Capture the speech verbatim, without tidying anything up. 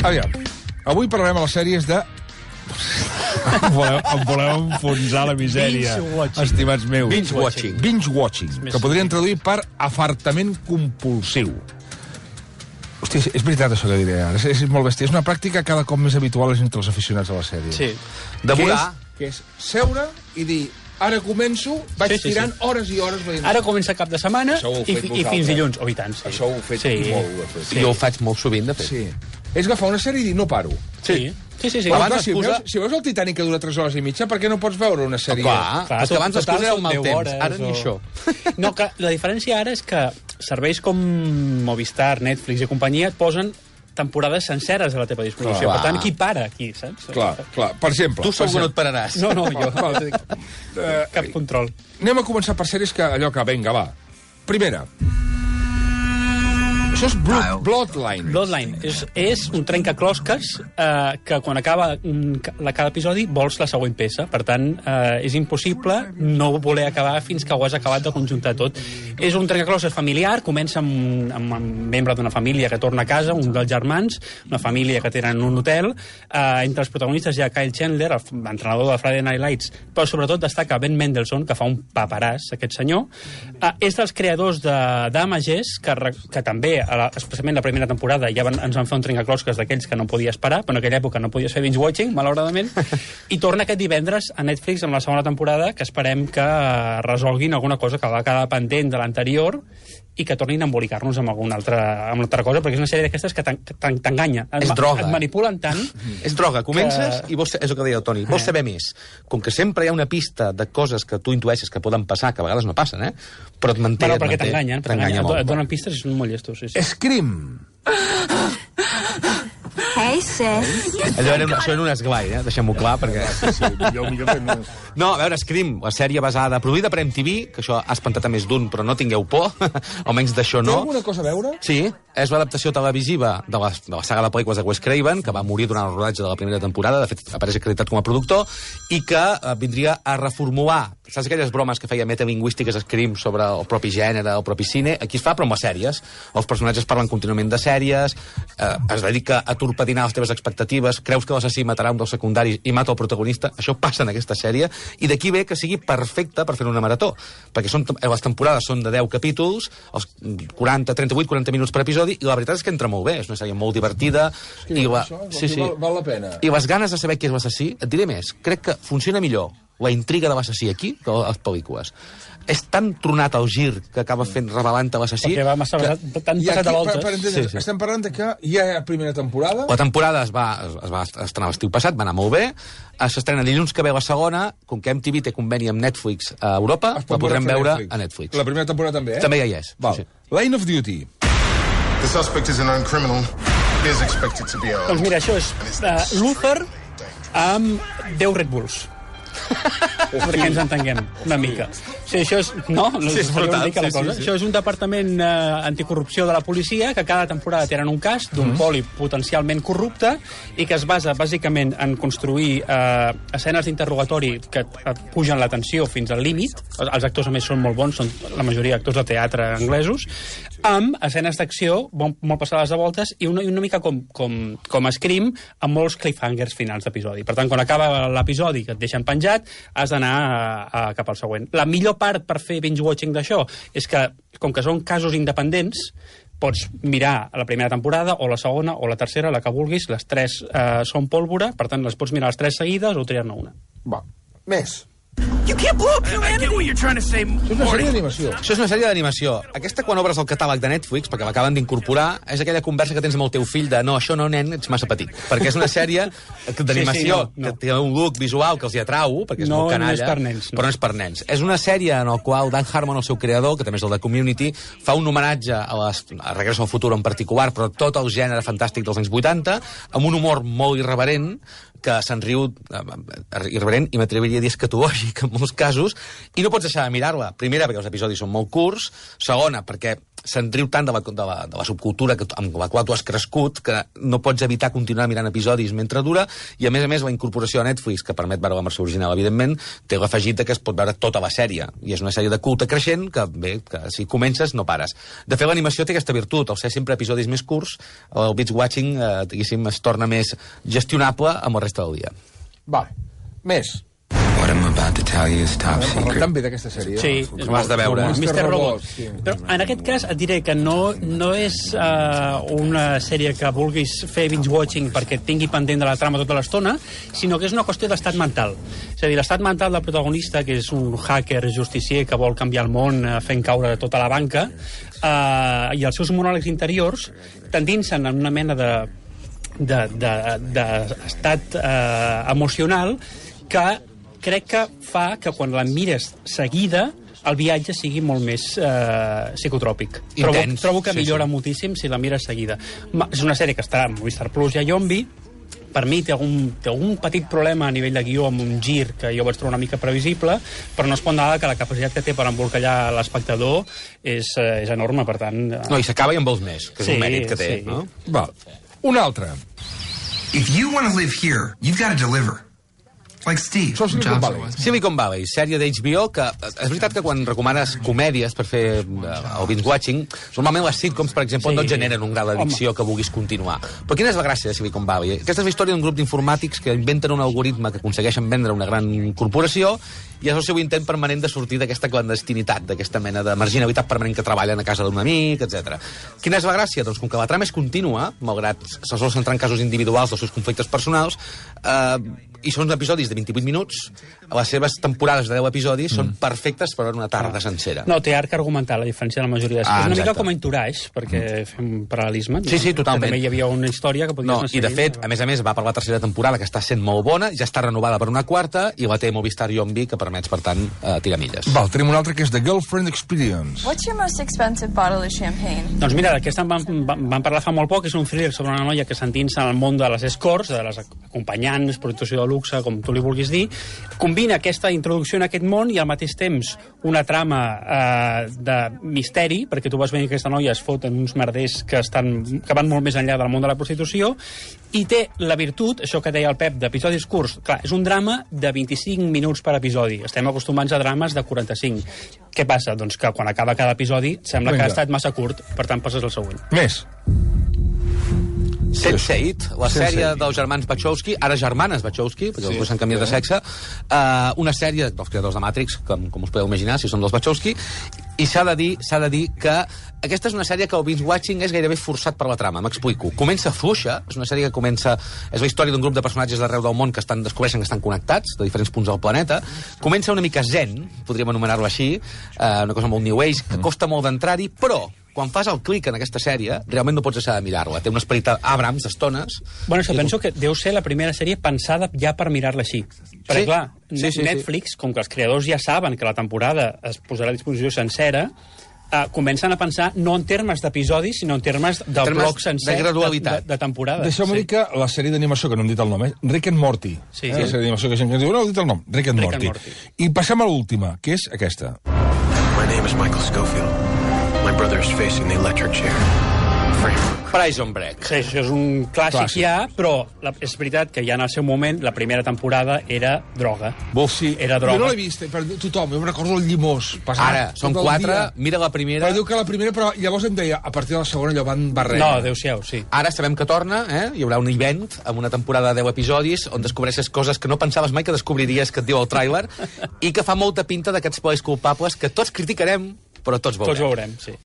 Aviam, avui parlarem a les sèries de... em, voleu, em voleu enfonsar la misèria, estimats meus. Binge-watching. Binge-watching, que podrien traduir per afartament compulsiu. Hòstia, és veritat això que diré ara, és, és molt bèstia. És una pràctica cada cop més habitual entre els aficionats a la sèrie. Sí. Devorar. Que és, que és seure i dir... Ara començo, vaig sí, sí, tirant sí. hores i hores veient... Ara comença cap de setmana i, i fins dilluns. Oh, i tant, sí. Això ho heu fet sí. molt. Ho fet. Sí. Jo ho faig molt sovint, de fet. Sí. És agafar una sèrie i dir, no paro. Sí. Sí, sí, sí. Però, clar, si, veus, si veus el Titanic que dura tres hores i mitja, per què no pots veure una sèrie? Oh, clar, clar, és que abans les coses eren mal temps, ara ni això. No, que la diferència ara és que serveis com Movistar, Netflix i companyia et posen temporades senceres a la teva disposició. Clar. Per tant, qui para aquí, saps? Clar, clar. Per exemple... Tu segur no et pararàs. No, no, jo. uh, Cap control. Anem a començar per sèries que allò que, vinga, va. Primera. Això és Blood, Bloodline. Bloodline. És, és un trencaclosques eh, que quan acaba un, la, cada episodi vols la següent peça. Per tant, eh, és impossible no voler acabar fins que ho has acabat de conjuntar tot. És un trencaclosques familiar, comença amb, amb un membre d'una família que torna a casa, un dels germans, una família que tenen un hotel. Eh, entre els protagonistes hi ha Kyle Chandler, l'entrenador de Friday Night Lights, però sobretot destaca Ben Mendelsohn, que fa un paperàs, aquest senyor. Eh, és dels creadors de Damages, que, que també a la, especialment la primera temporada ja van, ens van fer un trencaclosques d'aquells que no podia esperar, però en aquella època no podies fer binge-watching, malauradament, i torna aquest divendres a Netflix amb la segona temporada, que esperem que resolguin alguna cosa que va quedar pendent de l'anterior i que tornin a embolicar-nos amb alguna altra, amb altra cosa, perquè és una sèrie d'aquestes que t'enganya. És droga. Et manipulen tant... És droga. Comences que... i vols, és el que deia el Toni, vols saber més. Com que sempre hi ha una pista de coses que tu intueixes que poden passar, que a vegades no passen, eh? Però et manté... Però perquè t'enganyen, t'enganya molt. Et donen pistes i són molt llestos. Sí, sí. Scream. Hey, sis. Allò era, això era un esglai, eh? Deixem-ho clar, perquè... Sí, sí, millor, millor que no... No, a veure, Scream, la sèrie basada, produïda per M T V, que això ha espantat a més d'un, però no tingueu por, almenys d'això no. Té alguna cosa a veure? Sí, és l'adaptació televisiva de la, de la saga de pel·lícules de Wes Craven, que va morir durant el rodatge de la primera temporada, de fet apareix acreditat com a productor, i que eh, vindria a reformular, saps aquelles bromes que feia metalingüístiques Scream sobre el propi gènere, el propi cine? Aquí es fa, però amb les sèries. Els personatges parlen contínuament de sèries, eh, es dedica a torpedinar les teves expectatives, creus que l'assassí matarà un dels secundaris i mata el protagonista, això passa en aquesta sèrie, i d'aquí ve que sigui perfecta per fer una marató, perquè són, les temporades són de deu capítols, els quaranta, trenta-vuit, quaranta minuts per episodi, i la veritat és que entra molt bé, és una sèrie molt divertida, sí, i, la... això, sí, sí. Val, val la pena. I les ganes de saber qui és l'assassí, et diré més, crec que funciona millor la intriga de l'assassí aquí que a les pel·lícules. És tan tronat el gir que acaba fent revelant-te l'assassí... Perquè va massa que... tan I passat aquí, a voltes. per, per entendre, sí, sí. Estem parlant de que hi ha primera temporada... La temporada es va, es va estrenar l'estiu passat, va anar molt bé, s'estrena dilluns que ve la segona, com que M T V té conveni amb Netflix a Europa, la podrem veure Netflix. a Netflix. La primera temporada també, eh? També ja hi és. Val. Sí. Line of Duty. The suspect is a known criminal. He is expected to be armed. Doncs mira, això és uh, Luther amb deu Red Bulls. Perquè ens entenguem una mica. Sí, això és... No? Sí, és brutal. Una mica la Sí, cosa. sí, sí. Això és un departament eh, anticorrupció de la policia que cada temporada tenen un cas d'un Mm-hmm. poli potencialment corrupte i que es basa bàsicament en construir eh, escenes d'interrogatori que eh, pugen la tensió fins al límit. Els, els actors, a més, són molt bons, són la majoria actors de teatre anglesos, amb escenes d'acció molt, molt passades de voltes i una, i una mica com, com, com Scream, amb molts cliffhangers finals d'episodi. Per tant, quan acaba l'episodi que et deixen penjat, has d'anar a, a, cap al següent. La millor part per fer binge-watching d'això és que, com que són casos independents, pots mirar la primera temporada, o la segona, o la tercera, la que vulguis. Les tres eh, són pólvora, per tant, les pots mirar les tres seguides o triar-ne una. Va, més. You can't blow up humanity. I get what you're trying to say. Això és una sèrie d'animació. Això és una sèrie d'animació. Aquesta, quan obres el catàleg de Netflix, perquè l'acaben d'incorporar, és aquella conversa que tens amb el teu fill de no, això no, nen, ets massa petit. Perquè és una sèrie d'animació sí, sí, no, no. que té un look visual que els hi atrau, perquè és No, molt canalla. no és per nens, no. Però no és per nens. És una sèrie en la qual Dan Harmon, el seu creador, que també és el de Community, fa un homenatge a, les, a Regreso al Futur en particular, però tot el gènere fantàstic dels anys vuitanta, amb un humor molt irreverent, que se'n riu eh, irreverent i m'atreviria a dir escatològic en molts casos, i no pots deixar de mirar-la. Primera, perquè els episodis són molt curts. Segona, perquè se'n riu tant de la, de la, de la subcultura que, amb la qual tu has crescut que no pots evitar continuar mirant episodis mentre dura, i a més a més la incorporació a Netflix, que permet veure la versió original, evidentment, té l'afegit que es pot veure tota la sèrie, i és una sèrie de culte creixent que, bé, que si comences no pares. De fet, l'animació té aquesta virtut, al ser sempre episodis més curts, el binge watching, eh, diguéssim, es torna més gestionable amb el resta del dia. Vale. Més. What I'm about to tell you is top Parla secret. tan bé d'aquesta sèrie. Sí, Ho has de veure. Com mister Robot. Sí. Però en aquest cas et diré que no, no és uh, una sèrie que vulguis fer binge-watching perquè et tingui pendent de la trama tota l'estona, sinó que és una qüestió d'estat mental. És a dir, l'estat mental del protagonista, que és un hacker justicier que vol canviar el món uh, fent caure tota la banca, uh, i els seus monòlegs interiors t'endinsen en una mena de d'estat de, de, uh, emocional que crec que fa que quan la mires seguida el viatge sigui molt més eh, psicotròpic. Trobo, Intens. trobo que Sí, millora sí. moltíssim si la mires seguida. Ma, és una sèrie que està a Movistar Plus i a Yombi. Per mi té algun, té algun petit problema a nivell de guió amb un gir que jo vaig trobar una mica previsible, però no es pot negar que la capacitat que té per embolcallar l'espectador és, eh, és enorme, per tant... Eh... No, i s'acaba i en vols més, que és Sí, un mèrit que té, sí. no? Val. Una altra. If you want to live here, you've got to deliver. Like Steve. Això és Silicon Valley. Silicon Valley, sèrie d'H B O, que és veritat que quan recomanes comèdies per fer eh, el binge-watching, normalment les sitcoms, per exemple, Sí. no et generen un grau d'addicció que vulguis continuar. Però quina és la gràcia de Silicon Valley? Aquesta és la història d'un grup d'informàtics que inventen un algoritme que aconsegueixen vendre una gran corporació, i és el seu intent permanent de sortir d'aquesta clandestinitat, d'aquesta mena de marginalitat permanent que treballen a casa d'un amic, etcètera. Quina és la gràcia? Doncs com que la trama és contínua, malgrat se sol centrar en casos individuals dels seus conflictes personals, eh, i són episodis de vint-i-vuit minuts, les seves temporades de deu episodis són perfectes per veure una tarda sencera. No, té arc argumental, a diferència de la majoria de Ah, és una mica exacte. com a Entourage, perquè fem paral·lelisme. Sí, sí, totalment. Que també hi havia una història que podies No, anar i de seguint. fet, a més a més, va per la tercera temporada, que està sent molt bona, ja està renovada per una quarta, i la té Movistar Yombi, que permets, per tant, eh, tirar milles. Val, tenim una altra que és The Girlfriend Experience. What's your most expensive bottle of champagne? Doncs mira, d'aquesta en van, van, van parlar fa molt poc, és un thriller sobre una noia que s'endinsa en el món de les escorts, de les acompanyants, prostitució de luxe, com tu li vulguis dir, combina aquesta introducció en aquest món i al mateix temps una trama eh, de misteri, perquè tu vas veure que aquesta noia es fot en uns merders que, estan, que van molt més enllà del món de la prostitució, i té la virtut, això que deia el Pep, d'episodis curts. Clar, és un drama de vint-i-cinc minuts per episodi. Estem acostumats a drames de quaranta-cinc. Què passa? Doncs que quan acaba cada episodi sembla Vinga. que ha estat massa curt, per tant passes al següent. Més. sense eight, la sense sèrie eight. dels germans Wachowski, ara germanes Wachowski, perquè sí, els s'han canviat de sexe, uh, una sèrie dels creadors de Matrix, com, com us podeu imaginar, si són dels Wachowski, i s'ha de dir s'ha de dir que aquesta és una sèrie que el binge-watching és gairebé forçat per la trama, m'explico. Comença fluixa, és una sèrie que comença... És la història d'un grup de personatges d'arreu del món que estan descobreixen que estan connectats, de diferents punts del planeta. Comença una mica zen, podríem anomenar-lo així, uh, una cosa molt new age, que costa molt d'entrar-hi, però quan fas el clic en aquesta sèrie, realment no pots deixar de mirar-la. Té un esperit Abrams d'estones. Bueno, això penso que deu ser la primera sèrie pensada ja per mirar-la així. Perquè, Sí. clar, Sí, sí, Netflix, com que els creadors ja saben que la temporada es posarà a disposició sencera, eh, comencen a pensar no en termes d'episodis, sinó en termes de termes bloc sencer de gradualitat. de, de, de temporada. Deixeu-me dir que la sèrie d'animació, que no hem dit el nom, és Rick and Morty. Sí. Eh? La sèrie d'animació que gent que ens diu, no, heu dit el nom, Rick and, Rick and Morty. Morty. I passem a l'última, que és aquesta. My name is Michael Schofield. My brother is facing the electric chair. Frame. Prison Break. Sí, això és un clàssic, Clàssic. ja, però la, és veritat que ja en el seu moment, la primera temporada era droga. Vols sí. Era droga. Jo no l'he vist, eh, per tothom, jo em recordo el llimós. Passar Ara, són tot el quatre, dia. mira la primera... Però diu que la primera, però llavors em deia, a partir de la segona allò van barrent. No, adéu-siau, sí. Ara sabem que torna, eh? Hi haurà un event amb una temporada de deu episodis on descobreixes coses que no pensaves mai que descobriries, que et diu el tràiler, i que fa molta pinta d'aquests plaers culpables que tots criticarem, però tots veurem. Tots veurem, sí.